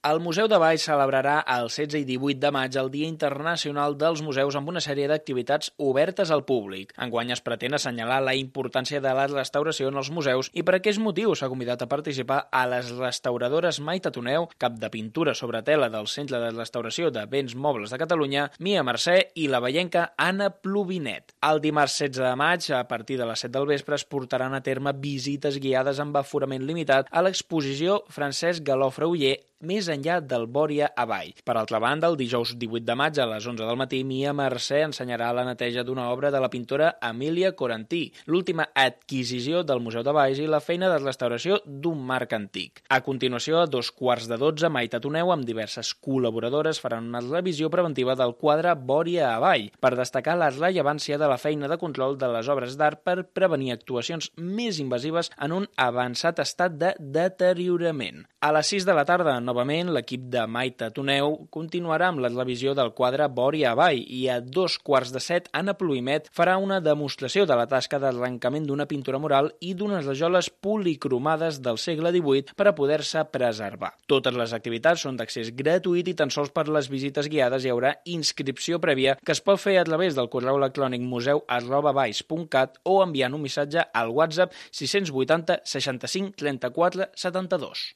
El Museu de Valls celebrarà el 16 i 18 de maig el Dia Internacional dels Museus amb una sèrie d'activitats obertes al públic. Enguany es pretén assenyalar la importància de la restauració en els museus i per aquest motiu s'ha convidat a participar a les restauradores Maite Toneu, cap de pintura sobre tela del Centre de Restauració de Béns Mobles de Catalunya, Mia Mercè i la veienca Anna Plovinet. El dimarts 16 de maig, a partir de les 7 del vespre, es portaran a terme visites guiades amb aforament limitat a l'exposició Francesc Galofre Oller més enllà del Bòria Avall. Per altra banda, el dijous 18 de maig a les 11 del matí, Mia Mercè ensenyarà la neteja d'una obra de la pintora Emília Corantí, l'última adquisició del Museu de Valls i la feina de restauració d'un marc antic. A continuació, a 2:15, Maite Toneu amb diverses col·laboradores faran una revisió preventiva del quadre Bòria Avall per destacar la rellevància de la feina de control de les obres d'art per prevenir actuacions més invasives en un avançat estat de deteriorament. A les 6 de la tarda, novament, l'equip de Maite Toneu continuarà amb la revisió del quadre Bòria Avall i a 2:15, Anna Plovinet farà una demostració de la tasca d'arrencament d'una pintura mural i d'unes rajoles policromades del segle XVIII per a poder-se preservar. Totes les activitats són d'accés gratuït i tan sols per les visites guiades hi haurà inscripció prèvia que es pot fer a través del correu electrònic museu@valls.cat o enviant un missatge al WhatsApp 680 65 34 72.